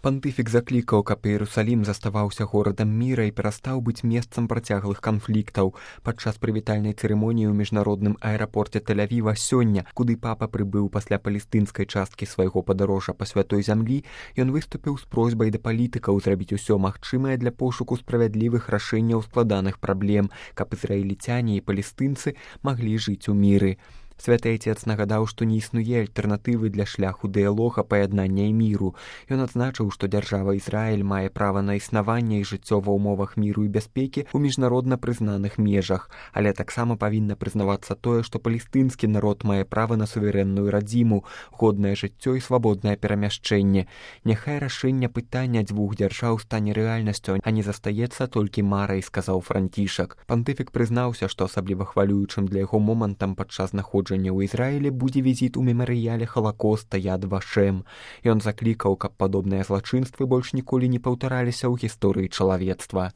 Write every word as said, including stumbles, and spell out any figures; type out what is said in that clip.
Пантыфік заклікаў, каб Іерусалім заставаўся горадам міра і перастаў быць месцам працяглых канфліктаў. Падчас прывітальнай цырымоніі ў міжнародным аэрапорце Тель-Авіва сёння, куды папа прыбыў пасля палестынскай часткі свайго падарожжа па святой зямлі, ён выступіў з просьбай да палітыкаў зрабіць усё магчымае для пошуку справядлівых рашэнняў складаных праблем, каб ізраільцяне і палестынцы маглі жыць у міры. Святы Айцец нагадаў, што не існуе альтэрнатывы для шляху дыялога, паяднання і міру. Ён адзначыў, што дзяржава Ізраіль мае права на існаванне і жыццё ва ўмовах міру і бяспекі ў міжнародна прызнаных межах, але таксама павінна прызнавацца тое, што палестынскі народ мае права на суверэнную радзіму, годнае жыццё і свабоднае перамяшчэнне. Няхай рашэнне пытання дзвюх дзяржаў стане рэальнасцю, а не застаецца толькі марай, сказаў Францішак. Пантыфік прызнаўся, што асабліва хвалюючым для яго момантам падчас знаходжання ў Ізраілі будзе візіт у мемарыяле Халакоста Яд Вашем. Ён заклікаў, каб падобныя злачынствы больш ніколі не паўтараліся ў гісторыі чалавецтва.